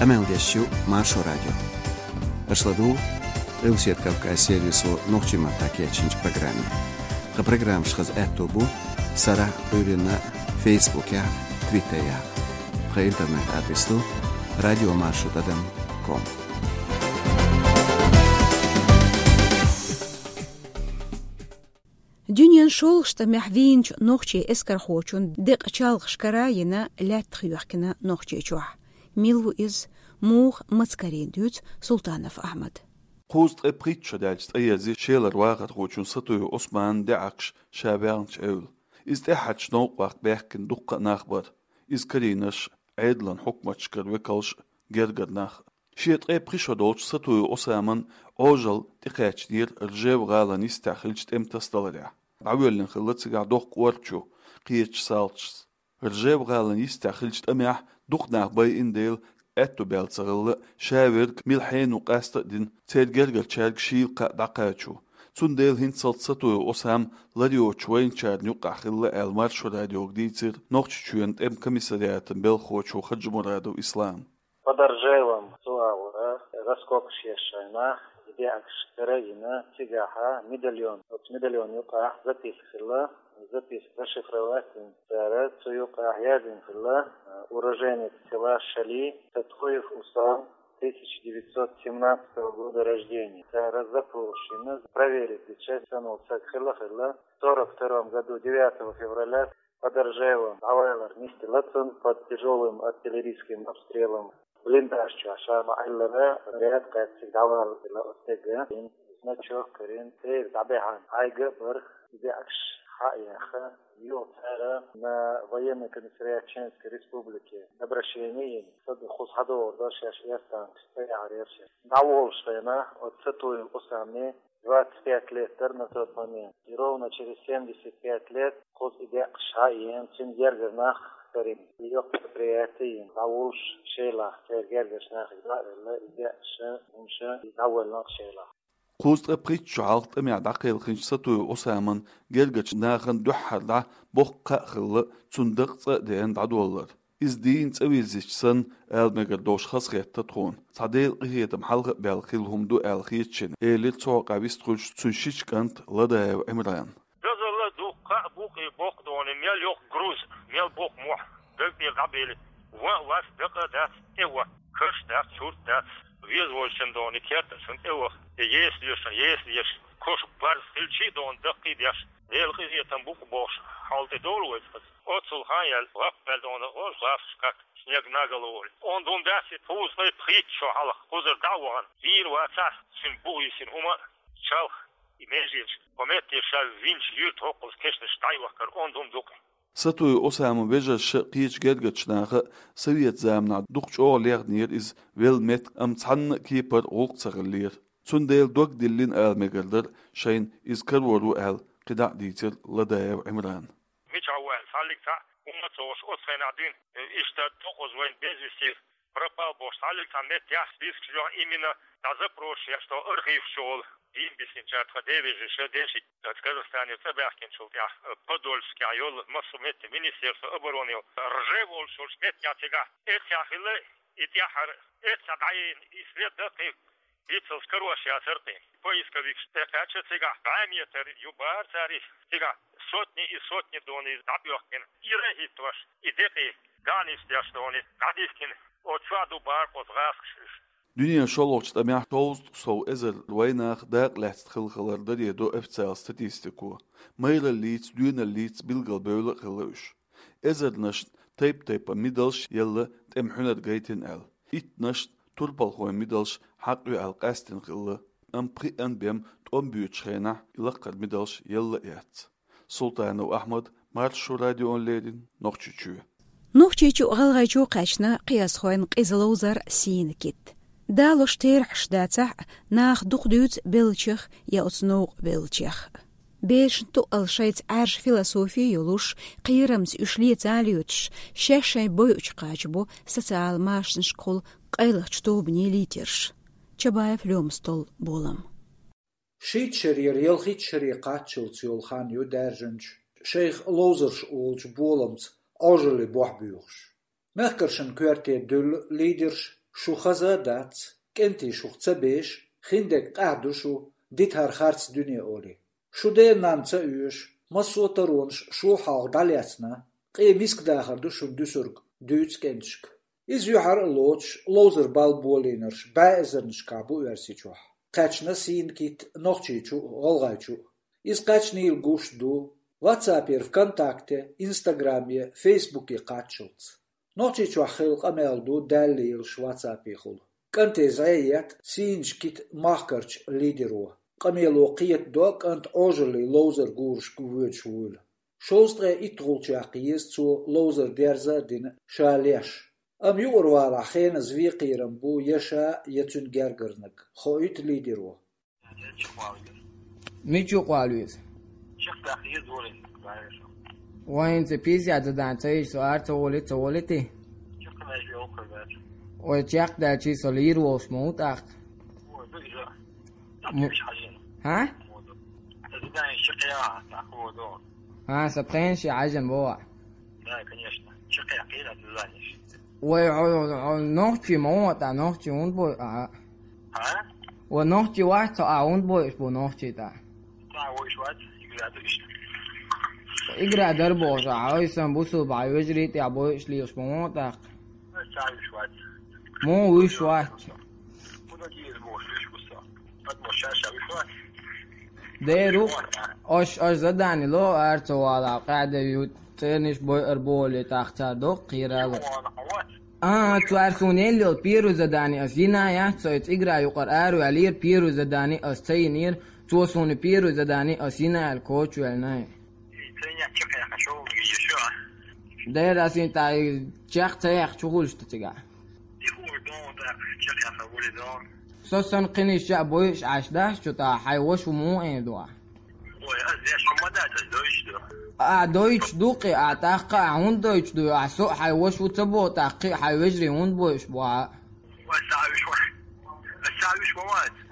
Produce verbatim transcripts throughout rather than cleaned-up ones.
Къамел деш ю Маршо радио. Аша ладугӀу Къилбаседа Кавказ сервисо нохчийн маттахь кечйинчу программе. Тхан программаш хаза аьтто бу сарахь а, Ӏуьйранна а Фейсбукехь а, Твиттерехь а. Тхан интернет-адрес ду радиомаршо тӀадам ком. Дуьненан шолгӀачу тӀамехь вийначу нохчийн эскархочун декъа чалхаш кара а йина, лаьттах йоьхкина Нохчийчохь. Мила ву иза? Муха, маца карийна, дуьйцу Султанов Ахьмада. Кхузткъе пхийтта шо даьлча цӀа ерзийра Шелара вахархочун Сатуев Ӏусманан даьӀахкаш ша ваьхначу эвла. Иза тӀаьххьарчу новкъа ваккха баьхкина дуккха а нах бара. Иза карийнарш, Ӏедалан хьукматашкара векалш, гергара нах. Шен ткъе пхи шо долчу Сатуев Ӏусаман Ӏожалла тӀекхаьчнера Ржев-гӀалин йистехь хиллачу тӀеман тасадаларехь. ДӀавоьллина хилла цигахь доккха кӀорачу, кхечу салташца. Ржев-гӀалин йистехь хиллачу тӀамехь дукха нах байина дела, аьтто баьлла ца хилла, ша верг мила хьенан ву къаста а дина, церан гергарчаьрга шийла кхаъ дӀакхачо. Цундела хӀинццалц Сатуев Ӏусам лар йоцучу вайначарна юккъехь хилла аьлла, Маршо радиога дийцира Нохчийчоьнан тӀеман комиссариатан белхахочо Хаджимурадов Ислама. Под Ржевом цу агӀора раскопкаш еш шайна, и даьӀахкаш кара а йина, цигахь медальон, оцу медальон юкъахь записка хилла, записка расшифровать йина цара, цу юкъахь яздина хилла: «Уроженец села Шали Сатуев Усам, тысяча девятьсот семнадцатого года рождения». Цара запрос йина, проверить дича, санал саг хилла, хилла. В сорок втором году, девятого февраля, под Ржевом дӀавалар нисделла цунна под тяжёлым артиллерийским обстрелом. Блиндаж чохь ша ма-Ӏиллара, снаряд кхаьчча дӀавалла оцу стеган. Значок карийна, церан дӀабаьхьна, хьайга а бара, и даьӀахкаш схьа а яьхна, юха цара на военный комиссариат Чеченской Республики обращение йина, со ду кхуза схьадогӀур ду шаьш, эрсанга цӀа яхьар яра шаьш. ДӀаволуш хенахь оцу Сатуев Ӏусаман двадцать пять лет дара на тот момент. И ровно через семьдесят пять лет кхуза и даьӀахкаш схьа а йина, цуьнан гергара нах карийна. И йоккха предприяти йина, дӀаволуш Шелахь, церан гергарчу нахе дӀа а велла, и даьӀахкаш, хӀумаш, и дӀавоьллина Шелахь. Кхузткъе пхийтта шо хьалха тӀамехь дӀакхелхинчу Сатуев Ӏусаман гергарчу нахана дуьххьара дӀа боккха кхаъ хилла цуьнан дакъа цӀа а деана дӀадоллар. Иза дийна цӀа вирзича санна, ала мегар долуш хазахетта тхуна. Цхьа Делан къинхетам хьалха а баьлла хилла хӀума ду аьлла хета шена, элира цу хьокъехь вистхуьлуш цуьнан шича кӀанта Ладаев Ӏимрана. Дозалла ду, кхаъ бу-кх и боккха доне, мел йоккха груз, мел боккха мохь, даг тӀера дӀабели. Ван а вац, дакъа а дац, тӀе ван. Каш дац, сурт дац. Веза вожачун доне, кертачун тӀе ваха. Еса лешан, еса леша. Кошка барз хилчий а доне, даккхий а деш. Делан къинхетам бу-кх бохуш, хьал тӀе довла вай цкъа. Оццул хан яьлла, лаппаьлла доне, гӀоз гӀазкхаш кхатта, снег на голову. Онда хӀума дац и, кхузткъе пхийтта шо хьалха кхузара дӀа а вахана, вийр вацахь, цуьнан бухийсина хӀума а, чалх, и меженаш, кху метте ша винчу юьрта хӀокхуза кешнаш дӀайохкар, онда хӀума ду-кх. Сатуев Ӏусаман вежарша а, кхечу гергарчу наха а совет заманахь дукха чӀогӀа лехнера иза велла меттиг, амма цхьанна а кепара гӀуллакх ца хиллера. Цундела дог диллина ала мегар дара шайна иза карор ву аьлла, кхидӀа а дийцира Ладаев Ӏимрана. Мичахь ву аьлла, цхьаллиг цхьаъ хӀумма а ца хууш, оцу хенахь дуьйна, иштта дукхаза вайна без вести пропал бохуш, цхьаллиг цхьа меттехь спискаш йохь именно, цхьа запросаш еш, тхо архиваш чу волу, дийна бисинчара тхан девежаша деши, Казахстанера цӀа баьхкинчул тӀаьхьа, Подольскехь йолу массо а метте, Министерство обороны йолу, Ржев олуш йолчу меттехь цигахь эццехь хилла, и тӀаьххьара эццехь дӀаена, и след даккхий, Вицалш карош яцара кхин. Поисковикаш тӀекхаьчча цигахь, бӀе метр ю бара цара иза. Цигахь сотни и сотни доне дӀабоьхкина. Ира а хӀиттош, и декъий, ганийш деш доне дӀадихкина. Оцу чохь ду бара кхуза гӀазкхаш уьш. Дуьненан шолгӀачу тӀамехь шовзткъа сов эзар вайнах дакъа лаьцна хилла хилар даре до официалан статистико. Майраллица, доьналлица билгалбевлла а хилла уьш. Эзарнашна тайп-тайпана мидалш елла тӀеман хьуьнар гайтина аьлла. Иттанашна турпалхойн мидалш хьакъ ю аьлла къаьстина хилла, амма пхиъанна бен тӀом боьдучу хенахь и лакхара мидалш елла а яц. Султанов Ахьмад, Маршо радиона леррина, Нохчийчоь. Нохчийчу а, ГӀалгӀайчу а кхаьчна кхиазхойн къиза ловзар, сийна кит. Далош терахьаш дацахь а, наха дукха дуьйцу беллачех я оцу новкъа беллачех. Берашна тоъал шайца Ӏаьржа философи йолуш, кхерамца уьш леца а лоьцуш, шаьш шайн бойучу кхача бу социал машанашкахула къайлахчу тобанийн лидерш. Чабаев Лёма, стол болам. Шийтта шарера ялхитта шаре кхаччалц йолу хан ю даьржинчу, шайх ловзарш олучу боламца Ӏожаллин бохь буьйхуш. Мехкаршна коьрте дуьллу лидерш, Шу хаза а дац, кӀентий шух ца беш, хиндерг къаьхьа ду шу, дита хӀара харц дуьне олий. Шу ден-нана ца оьшу, массо а таронаш шул хьалха дӀалаьцна, къе миска дахар ду шуна дуьсург, дуьйцу кӀенташка. Иза юьхьар а лоцуш, ловзар бала болийнарш бӀе эзарнашкахь бу Оьрсийчохь. Кхаьчна сийна кит Нохчийчу а, ГӀалгӀайчу а. Иза кхаьчнийла гуш ду WhatsApp-ера ВКонтакте, Инстаграме, Фейсбуке кхаччалц. Нохчийчохь хилла къамел ду даьлла лелаш WhatsApp-ехула. КӀанте зӀе етта сийнаш кита махкарчу лидеро. Къамело кхетадо кӀант Ӏожаллин ловзар гурашка воьдуш вуйла. Шовзткъе иттагӀулчохь еза цо ловзар дерза а дина ша леш. Амма юкъара валахь хеназа вен кхерам бу я ша, я цуьнан гергарниг, хоуьйту лидеро. Мича юкъа вала веза? Вайн ца пизза задание ца йича, со ара ца волий, ца волий те? Вай чекхдаьлчий со лийр волуш ма ву тӀаккха? М-, хьа? ХӀан, сан пхенаш хьаьжжина боху. Вай хьо, хьо нохчий ма ву, тӀа нохчий хӀунда бой ахьа? Вай нохчий вац хьо, ахьа хӀунда бойуш бу нохчий тӀа? Игра дар бохуш ахьа, ой сан бусулба хьайн вежарий тӀехь бойуш лелаш ма ву тӀаккха? Муха вуьш вац? Дера ву, аш, аш задание ло, ара ца вала, къаьда ю, церниш бойар боле, тӀаккха цара доккха кхерала. А, цара суна елла йолу первый задание ас йина яц, со и цӀигара юкъара араваьллера, первый задание ас ца йинера, цо суна первый задание ас йина аьлла кочвеллина. Дера ас йина тӀе чекх ца яхча, хӀун хуьлуш ду цигахь? Со сан кхиниш ча а бойуш Ӏаш дац чу тӀа, хьайн ваша ву муха эр ду ахьа? Ахьа дойтуш ду кхин, ахьа тӀаккха а хӀунда дойтуш ду, ахьа со а хьайн ваша ву ца боху тӀаккха, кхин а хьайн вежарий хӀунда бойуш бу ахьа?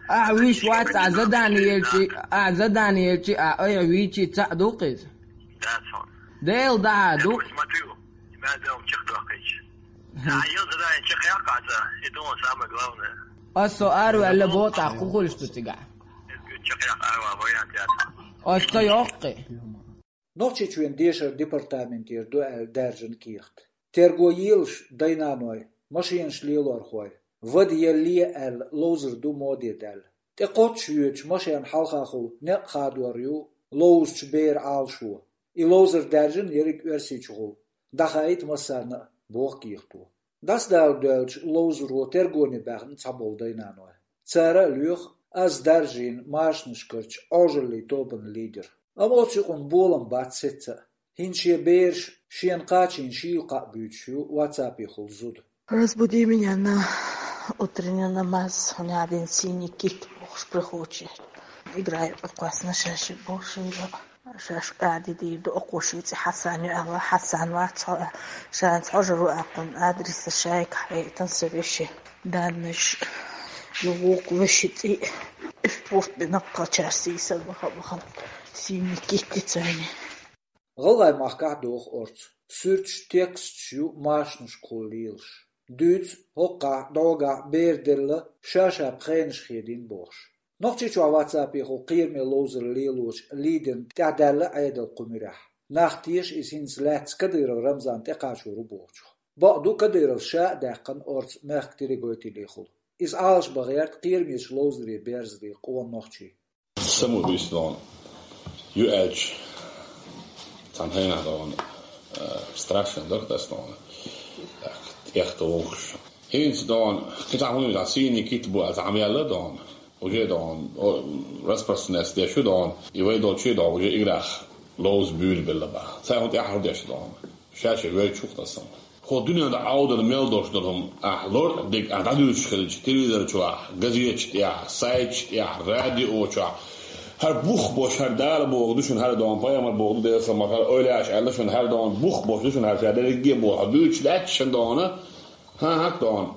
Ахьа вуьш вац, ахьа задание елчи, ахьа задание елчи, ахьа айхьа вийчи цхьаъ ду кхин иза? Дела дӀа а ду. Ас со араваьлла боху тӀаккха, хӀун хуьлуш ду цигахь? Ас ца йоккхи. Нохчийчоьнан дешаран департаментера ду аьлла даьржина кехат. Терго елаш дай-наной, машенаш лелорхой, вада елле аьлла ловзар ду моде даьлла. ТӀекхоччуш воьдучу машенна хьалхахула некъ хадор ю ловзучу беран Ӏалашо. И ловзар даьржина ерриг Оьрсийчухула. ДӀахаийта массарна а, боху кехато. ДӀасадала доьллачу ловзаро тергоне баьхна цхьаболу дай-наной. Цара а лоьху аз даржийна машанашкарчу Ӏожаллин тобанан лидер. Амма оцу юкъана болам бац сецца а. ХӀинца шен бераш шена кхачийна шийла кхаъ буьйцуш ю WhatsApp-ехула зуда. Разбуди меня на утренний намаз, у меня один синий кит бохуш прихочи. Играю, кхоссана шаьш бохуш. Шаьш кӀади дийр ду, окхо шен цӀе Хьасан ю аьлла, Хьасан вац хьо, шаьш хьожур ву аьккхун адрес шайга хьаьйтан сан веши. Даннаш ю вукху веши цӀе, уьш пурт бина кхачар сийсар баха-баха, сийни китти цайни. ГӀалгӀай махкахь доху орцу, суьрташ, тексташ ю машанашкахула лелаш. Дуьйцу, хӀокхахь, дӀогахь бер делла, ша-ша пхенаш хедийна бохуш. Нохчийчохь WhatsApp-ехула кхераме ловзар лелочу лидерна тӀаьхьадаьлла Ӏедал кху муьрехь. Нах теша иза хӀинца лаьцна Кадыров Рамзан тӀекхачор ву бохучух. Бакъду, Кадыровс ша а даьккхина орцу мехкан телегойтилехула. Иза Ӏалашбан гӀерта кхерамечу ловзаре берзаре къона нохчий. Самоубийство дона ю аьлча, цхьана хенахь дона, э, страшно дара ас дона. Так, тӀехта вухуш. ХӀинца дона, кхин цхьа хӀума ю, сийни кит бу аьлла, цхьа хӀума яьлла дона. Уже дона, о, распространяться деш ю дона, и вай долчу дона, уже играх ловза буьйлабелла баха. Цхьа хӀума тӀаьхьара деш дона. Ша-ша вай чухтасан. Хьо дуьнен тӀе Ӏовдал мел долуш долу хӀума, ахь лор а дерг ахь дӀадуьйцуш хилча, телевизор чохь, газеташ тӀехь, сайташ тӀехь, радио чохь. ХӀара бух бош, хӀара Дала боху ду шуна, хӀара дона пайхамар боху ду, Делан салам, хӀара ойла еш аьлла шуна, хӀара дона бух бош ду шуна, хӀара ша дерриге боху, дуьйцуш лаьтташ шуна дона. ХӀан-хӀа дона.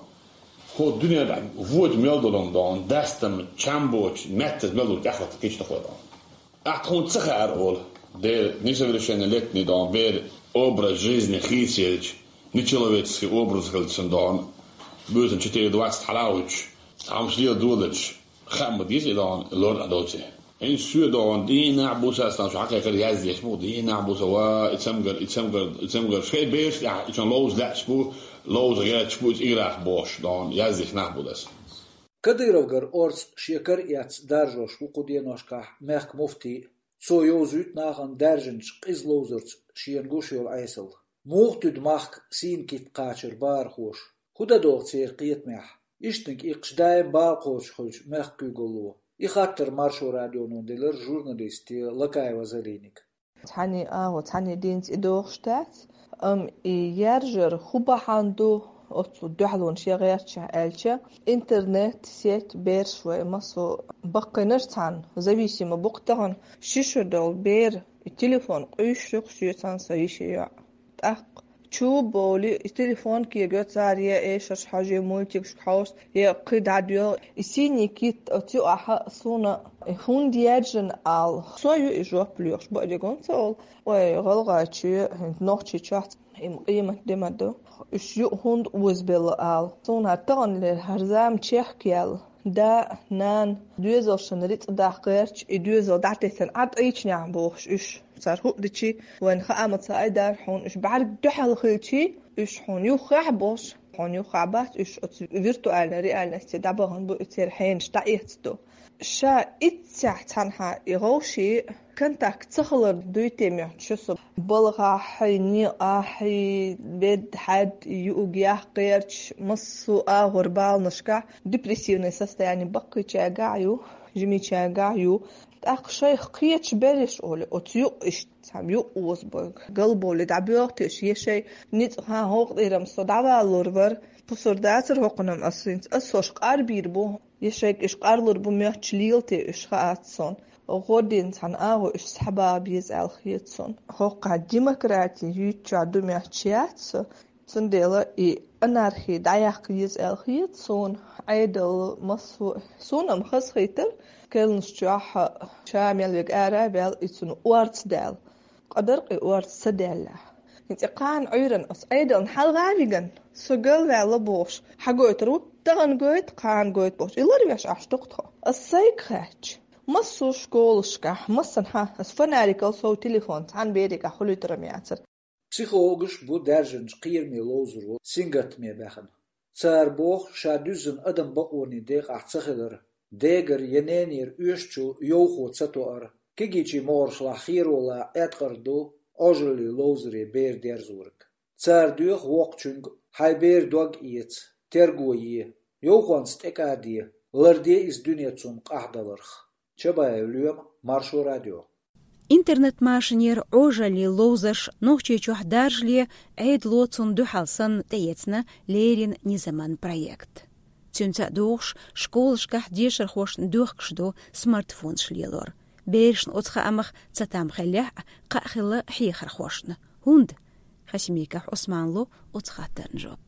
Хьо дуьнен тӀе вочу мел долу хӀума дона, дастам, чам боцуш, меттаза мел долу тӀехӀотта кхечу тахо дона. Ахь тхуна ца хаьара олу, бер несовершеннолетний дона, бер образ жизни хийцаелча, нечеловеческий образ хилча дона. Буьйсан четыре двадцать хьалавуьйтуш, цхьаммаш лела долуш, хаа ма деза и догӀун лор а долче. ХӀинца соь догӀун дийнахь буса сан шу хьакхайкхар яздеш бу, дийнахь буса ва, и цамгар, и цамгар, и цамгар. Шайн бераш тӀехь и чун ловза лаьтташ бу, ловза гӀерташ бу, и цӀийрах бохуш догӀун яздеш нах бу даса. Кадыровгара орца шен кара эцна даржош ву кху деношкахь мехкан муфтий. Цо йовзуьйту нахана даьржинчу къиза ловзарца шена гуш йолу Ӏесалла. Муха туьду махка сийна китт кхачар бахархоша? ХӀун дан догӀу церан кхетамехь? Ишттаниг иккхаш даим бала кхочуш хуьлучу мехкан куьйгалло. И хаттар Маршо радионо делира журналисте Лакаева Залиниг. Цхьаьний агӀо, цхьаьний динца и догӀуш дац, амма и яржар хӀун бахьана ду оцу дуьхьалонаш ян гӀертачехь аьлча, интернет, сеть, бераш вай массо а баккхийнарш цхьаьна зависимо бу-кх тахана. Ши шо долу бер и телефон къуьйсуш ю-кх соьца сан йишин йоӀ. ТӀаккха чу бовлий, и телефон кегайо цара, я эшарш хьожий, мультикашка хьовса, я кхин дӀадоьлху. И сийний китт оцу юкъахь суна хӀунда яьржина ала, со ю и жоп лоьхуш, бакъдерг ма ца олу. Вай гӀалгӀайчоь, хӀинца Нохчийчохь и къемат де ма ду. Уьш юкъа хӀунда озабелла ала. Суна хӀара таханлера хӀара зама чехка яьлла. Да, нана, доьзалшна рицкъ даккха гӀерташ, и доьзал дӀатеттина Ӏа тӀайчинехь бохуш уьш. Цара хӀуъа дичи, вайна хаа ма ца айдара хьуна, уьш бӀаьрг дуьхьал хилчий, уьш хьуна юххехь а бохуш, хьуна юххехь бац, уьш оцу виртуальной реальности дӀабахана бу, и церан хьенаш дӀаэцна ду. Ша иццехь цхьанхьа и гӀовший контакт ца хилар дуй те моьтту шу со. БалгӀахь, некъахь, бед, хьаьд, юург, яккха гӀерташ, массо а агӀор баланашкахь, депрессивное состояние баккхийчаьргахь а ю, жимичаьргахь а ю. ТӀаккха шайх кхеташ берриш олу, оцу юкъа иштта цхьа юкъа озабойла. Галбовлий дӀабоьлху те уьш, я шайн ницкъ, хьан гӀовгӀа тӀера-м со дӀавалалур вара, пусар дацара хӀокхунна-м ас хӀинца, ас шаьш къарбийр бу, я шайга уьш къарлур бу моьттуш лела те уьш, хаац суна. ГӀо дина цхьана агӀо уьш схьабаха беза аьлла хета суна. ХӀокхахь демократи юьйцучохь ду моьттуш яц со, цундела и анархи дӀаяккха еза аьлла хета суна. Ӏедал массо а, суна-м хазахийтар, кхаьллачохь ша мел верг ара а ваьлла, и цунна орца даьлла. Къа дара-кх и орца ца даьллехь. ХӀинца и кхана Ӏуьйранна ас Ӏедална хьалха а вигна, со галваьлла бохуш, хьагойтур ву, тахана гойту, кхана гойту бохуш, и ларвеш Ӏаш ду-кх тхо. Ас сайга хаьттича, массо а школашкахь, массанхьа, ас фонарикал сов телефон цхьана берегахь хуьлуьйтур-м яцара. Психологаш бу даьржинчу кхераме ловзаро сингаттаме баьхна. Цара боху, ша дуьззина адам бакъонийн декъахь ца хилар, дегара я ненера оьшучул йовхо ца тоар, кегийчийн могӀаршлахь херо лан Ӏеткъар ду Ӏожаллин ловзаре бер дерзориг. Цара доьху воккхачуьнга: хьайн беран дог эца, терго е, йовхонца тӀекӀаде, ларде иза дуьне цунна къахьдаларх. Чабаев Лоьма, Маршо радио. Интернет-машинера Ӏожаллин ловзарш Нохчийчохь даржале, Ӏедало цунна дуьхьал санна тӀеэцна леррина низаман проект. Цуьнца а догӀуш, школашкахь дешархошна доьхкуш ду смартфонаш лелор. Берашна оцу хаамах цатам хиллехь а, кхаъ хилла хьехархошна. ХӀунда? Хасимиков Ӏусмана ло оцу хаттарна жоп.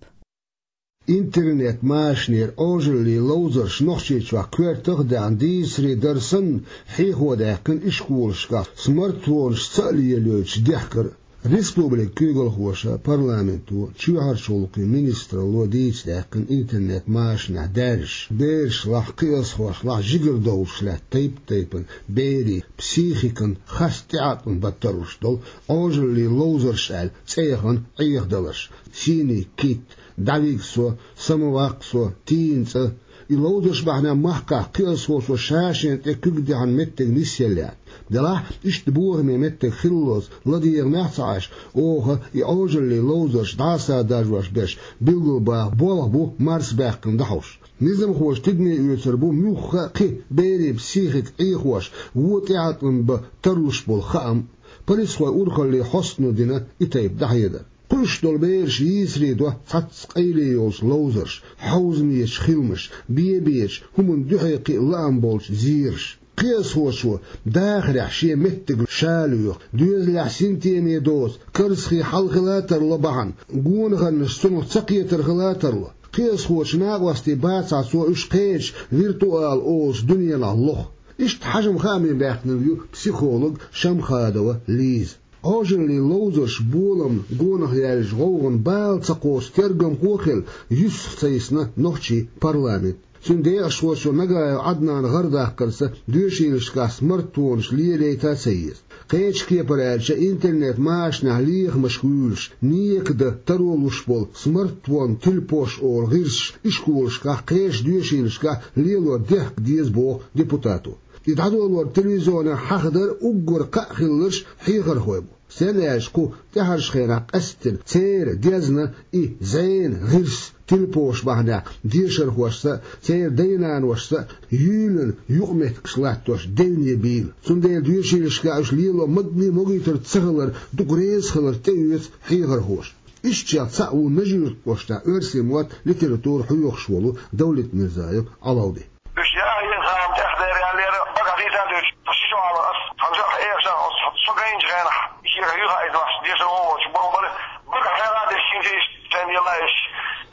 Интернет-машинера Ӏожаллин ловзарш Нохчийчохь коьртах а даьхна, дийцаре дара санна, хьехо даьккхина ишколашкахь смартфонаш ца а лелойтуш дехкар. Республикан куьйгалхоша, парламенто, чоьхьарчу гӀуллакхийн министралло дийца даьккхина интернет-машинехь даьржаш, берашлахь, кхиазхошлахь жигара довлуш лаьтта тайп-тайпана берийн психикан харц тӀеӀаткъам бан тарлуш долу Ӏожаллин ловзарш аьлла цӀе яхана Ӏехадаларш: сийний китт, дӀавига со, самаваккха со, тийна цӀа. И ловзарш бахьанехь махкахь кхиазхочо ша-шена тӀе куьг дехьан меттиг нисъелла яц. Делахь, иштта бохаме меттиг хиллалц, ладегӀамехь а ца Ӏаш, оха и Ӏожаллин ловзарш дӀасадаржош берш билгалбаха болх бу марсабаьккхина дӀахьош. Низамхоша тидаме оьцур бу муьлхха а кхин берийн психика Ӏехош, вон тӀеӀаткъам бан тарлуш болу хаам. Полисхойн урхаллин хьостано дина и тайпа дӀахьедар. Кхуьуш долу бераш йийцаре до цхьацца къайле йолчу ловзарша, хьовзамечу хиламаша, бен-бечу, хӀуманна дуьхьал кхин а лаам болчу зераша. Кхиазхочо дахарехь шен меттиг ша лоьху, доьзалехь синтеме доцу, карзахе хьал хила а тарло бахьана, гонахарнаш цунах ца кхетар хила а тарло. Кхиазхочу накъостий бацахь, цо уьш кхечу виртуал олучу дуьненахь лоху. Иштта хьажам хааме баьхкинарг ю психолог Шамхадова Лиза. Ӏожаллин ловзарш, боламна гонах яьлча гӀовгӀан бала ца кхочу тергамхо а хилла, юьсах ца йисна нохчийн парламент. Цуьнан декъашхочо Нагаев Ӏаднана гӀардаккхарца доьшийлашкахь смартфонаш лелайта а ца еза. Кхечу кепара аьлча, интернет-машанехь лехамашка вуьйлуш, нека дан таро луш болу смартфон, тилпош олу гӀирсаш ишколашкахь, кхечу доьшийлашкахь лелор дехка деза, боху депутато. И дӀадолор телевизионехь хьахадар уггар кхаъ хилларш хьехархой бу. Стенна аьлча, кху тӀаьхьарчу хенахь къаьсттина церан дезна и зӀенан гӀирс, тилпош бахьанехь дешархошца а, церан дай-наношца а юьйланан юкъаметтигаш латтош девне бийла. Цундела доьшийлашкахь уьш лело магни могуьйтур ца хилар дукха реза хилар тӀеоьцу хьехархоша. Ишттачех цхьаъ ву Нажи-Юрт кӀоштахь оьрсийн мотт, литература хьоьхуш волу Давлет Мирзаев Ӏалалди. Уьш яа еза хьан тӀехь дера аьллера, бага хӀиттан дуьйцу, ши шо хьалха ас, хьан жах эшан, ас, со гайнчу хенахь, шега юха айдвахча, дешар вон волчу боху бара, бага хьегӀа деш шинча иш, цен йелла иш,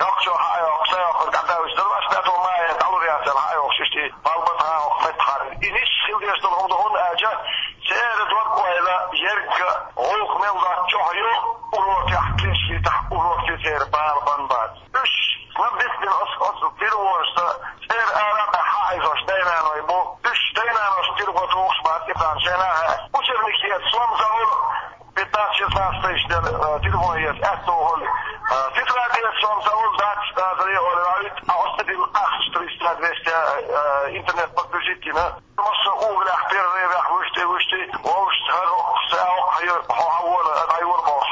йоккхачо хьа а йоккхуш, са йоккхуш, гӀадда уьш, дара вац бето ма е, дӀалур яц аьлла, хьа а йоккхуш, ишти, балбат хьа а йоккхуш, меттахьара. И ниш хила деш долу хӀума ду, хӀунда аьлча, церан дог-ойла ерг а, гӀуллакх мел доцучохь ю, урокехь, книжкитахь, урок ю церан бала бан бац. Уьш, ма бисбина оцу, оцу тилвонашца, цӀера ара а хьаийзош дай-наной бу. Уьш дай-нанош тилво тухуш бац, и царна шайна а хаьа. Учебникеца сом ца хуьлу, пятнадцать-шестнадцать тысяч дер, э, тилвон еза, аьтту хуьлу. Э, тетрадеца сом ца хуьлу, дац, дац, ре, олу, а вит, а оцу тилла ахча триста, двести, э, интернет подключить йина. Массо а угӀалехь, перерывехь вуьшти, вуьшти, вовшашца хӀара, хӀокху, са а хӀокху, хьо хьан вора, ай вора бохуш.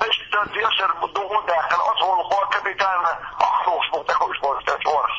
Иштта дешар дугӀу а даьккхина, оцу гӀуллакхо капитально ахча лохуш бу тӀекхуьуш болчу тӀе чӀорах.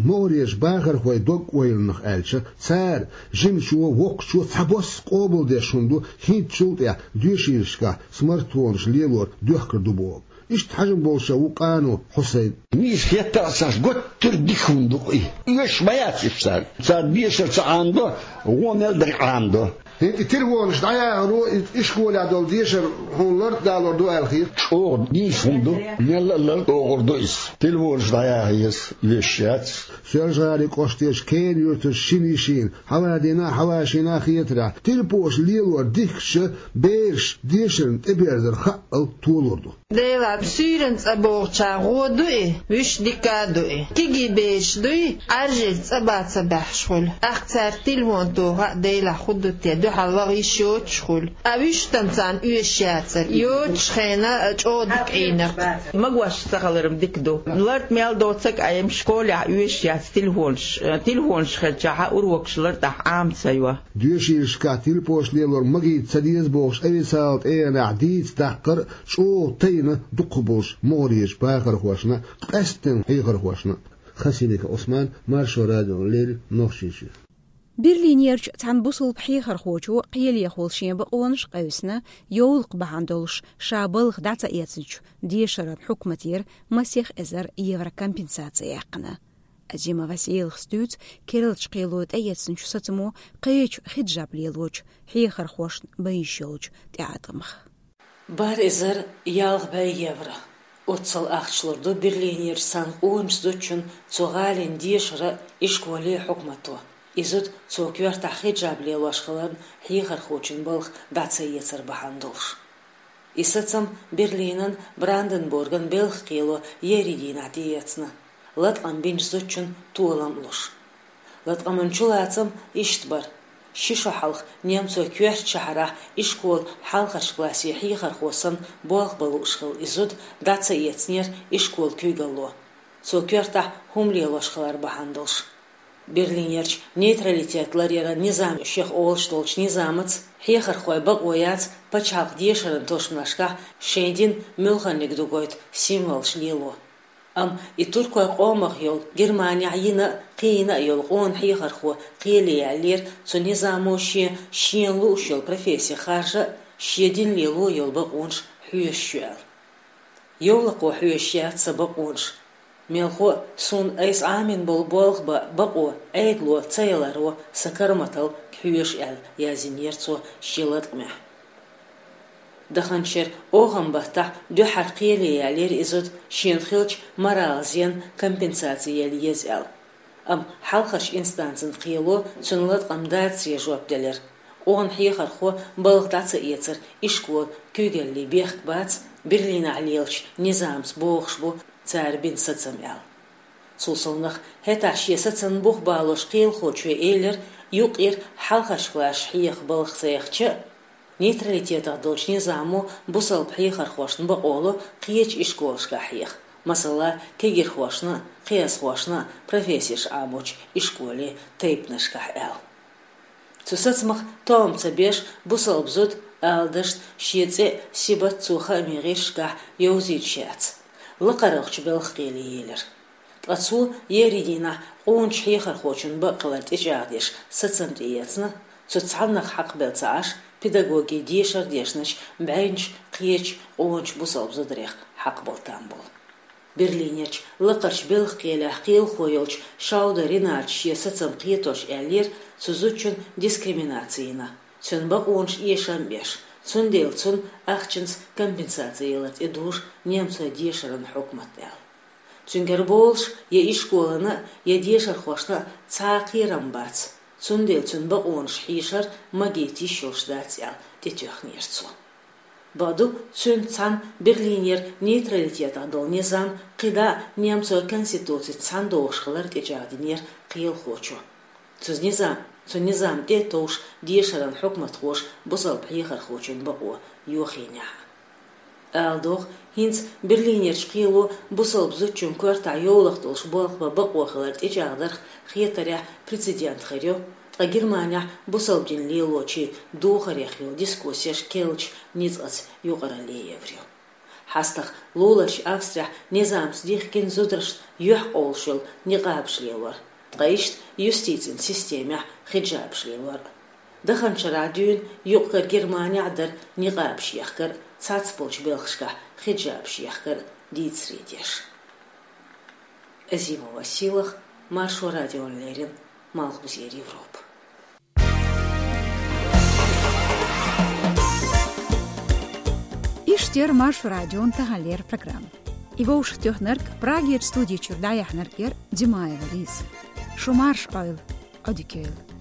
МогӀарерчу бахархойн дог-ойланах аьлча, цара жимачо, воккхачо цхьабосса къобалдеш хӀума ду, хӀинцачул тӀаьхьа доьшийлашкахь смартфонаш лелор доьхкур ду боху. Иштта хьажам болуш а ву Къано Хьусайн. Нийса хетта а ца Ӏаш, гуттар а дика хӀума ду-кх и. Оьшуш ма яц уьш царна. Царна дешар ца Ӏамадо, вон мел дерг Ӏамадо. ХӀинца и тилвонаш дӀаяхаро, и ишколехь долу дешар хьуна лартӀа далор ду аьлла хета? ЧӀогӀа нийса хӀума ду, мелла а лартӀа догӀур ду иза. Тилвонаш дӀаяха еза, оьшуш яц. Соьлжа-ГӀалин кӀоштарчу Кена-Юьртарчу шина йишина, хьавадина а, хьавашийна а хетарехь, тилпош лелор дихкича, бераш дешарна тӀеберзар хаъал толур ду. Делахь суьйранна цӀа богӀучарна гӀо ду и, вуьш дика а ду и. Кегий бераш дуй, Ӏаьржега цӀа бан ца баьхьаш хуьлу. ТӀаккха цара тилвон тоха а, делахь хӀун ду те, дуьхьал ваха йиш йоцуш хуьлу. Ткъа вуьш там царна оьшуш яцара, йоцучу хенахь чӀогӀа дика Ӏийнарг. Магош ца хилар-м дика ду. ЛартӀа мел доцург а, м, школехь оьшуш яц тилвонаш, тилвонаш хилчахьана урокаш лартӀахь Ӏама ца йо. Доьшийлашкахь тилпош лелор магийта ца деза бохуш, официалан тӀегӀанехь дийца даккхар а чӀогӀа тайна дукхахболуш могӀарерчу бахархошна а, къаьсттина хьехархошна а. Хасимиков Ӏусман, Маршо радиона леррина, Нохчийчоь. Берлинерчу цхьана бусалба хьехархочо кхелехула шен бакъонаш а къевсина, йовлакх бахьана долуш ша балха дӀа ца эцначу дешаран хьукматера масех эзар евро компенсаци яьккхина. Азима Василас дуьйцу керлачу кхело тӀеэцначу сацамо кхечу хиджаб лелочу хьехархошна бан йиш йолчу тӀеӀаткъамах. Барх эзар ялх бӀе евро. Оццул ахча лур ду Берлинерчу цхьана къоначу зудчунна цу гӀалин дешаро а, ишколе а, хьукмато. И зуда цо коьртахь хиджаб лелош хиларна хьехархочун балха дӀа ца эцар бахьана долуш. И сацам Берлинан, Бранденбурган белхан кхело еарин дийнахь тӀеэцна, латкъам бинчу зудчун толам а луш. Латкъаман чулацам иштта бара. Ши шо хьалха немцойн коьртачу шахьарахь ишколан хьалхарчу классийн хьехархо санна болх бан лууш хилла и зуда дӀа ца эцнера ишколан куьйгалло, цо коьртахь хӀума лелош хилар бахьана долуш. Берлинерчу нейтралитет ларъяран низам шех олуш долчу низамаца хьехархойн бакъо яц пачхьалкхан дешаран тосанашкахь шайн дин муьлханиг дугойту символаш лело. Амма и туркойн къомах йолу, Германехь йина а, кхийна а йолу къона хьехархо кхеле яьллера цу низамо шен, шена лууш йолу професси харжа а, шен дин лело йолу бакъонаш хьоьшуш ю аьлла. Йовлакхо хьоьшуш яц сан бакъонаш. Мелхо а, суна айса Ӏамийна болу болх бан бакъо Ӏедало ца яларо сан караматалла хьоьшу аьлла, яздинера цо шен латкъамехь. Даханчу шеран охан баттахь дуьххьара кхеле яьллера и зуда шена хиллачу моралан зенан компенсаци яла еза аьлла. Амма хьалхарчу инстанцин кхело цуьнан латкъам дацаре жоп делира. Къона хьехархо балха дӀа ца эцар ишкола куьйгаллин бехк бац, Берлинехь лелачу низамца богӀуш бу цара бина сацам аьлла. Цул совнах, хӀетахь шен сацамна бух балош кхелахочо элира, юккъера хьалхарчу классашка хьеха балха ца яхча а, нейтралитетах долчу низамо бусалба хьехархошна бакъо ло кхечу ишколашкахь хьеха, масала, кегирхошна а, кхиазхошна а профессеш Ӏамочу ишколе тайпанашкахь аьлла. Цу сацамах тоам ца беш, бусалба зуда, ала дашна, шен цӀе а, сибат а цо хаамийн гӀирсашкахь йовзуьйтуш яц. ЛакхаралгӀачу белхан кхеле елира. Ткъа цо еарин дийнахь къоначу хьехархочун бакъ хилар тӀечӀагӀдеш сацам тӀеэцна, цу цхьаннах хьакхабелла ца Ӏаш, педагогин дешар дешначу бӀеннаш кхечу къоначу бусалба зударех хьакхабала там болу. Берлинерчу лакхарчу белхан кхелехь кхелахо йолчу Шаудер Ринатас шен сацам кхетош аьллера цу зудчун дискриминаци йина, цуьнан бакъонаш эшам беш, цундела цунна ахчанца компенсаци ялар тӀедужу немцойн дешаран хьукмат аьлла. Цуьнгара болуш я ишколана а, я дешархошна а цхьа а кхерам бац, цундела цуьнан бакъонаш хьийшар магийта йиш йолуш дац аьлла, тӀетоьхнера цо. Бакъду, цуьнца цхьаьна Берлинера нейтралитетах долу низам кхидӀа а немцойн конституцица цхьаьна догӀуш хилар тӀечӀагӀдинера кхелахочо. Цу низам, цу низам тӀе а товш дешаран хьукматхоша бусалба хьехархочун бакъо йохийнехь а. Ала догӀу, хӀинца Берлинерчу кхело бусалба зудчун коьртахь йовлакх долуш болх бан бакъо хилар тӀечӀагӀдарх хетарехь прецедент хир ю, ткъа Германехь бусалба дин лелочийн духарех йолу дискуссеш керлачу ницкъаца юкъаралле евр ю. ХьастагӀа луларчу Австрехь низамца дихкина зударшна юьхькъовлуш йолу никъабаш лелор, ткъа иштта юстицин системехь хиджабаш лелор. Даханчу шарахь дуьйна юкъ-кара Германехь а дара никъабаш ехкар а, цхьацца болчу белхашкахь хиджабаш ехкар а дийцаре деш. Азимова Сийлаха, Маршо радиона леррина, Малхбузера Европа. Иштта яра Маршо радион таханлера программа. И вовшахтоьхнарг, Прагерчу студи чуьра дӀаяьхьнарг яра Димаева Лиза. Шу марша Ӏойла, Ӏодика йойла.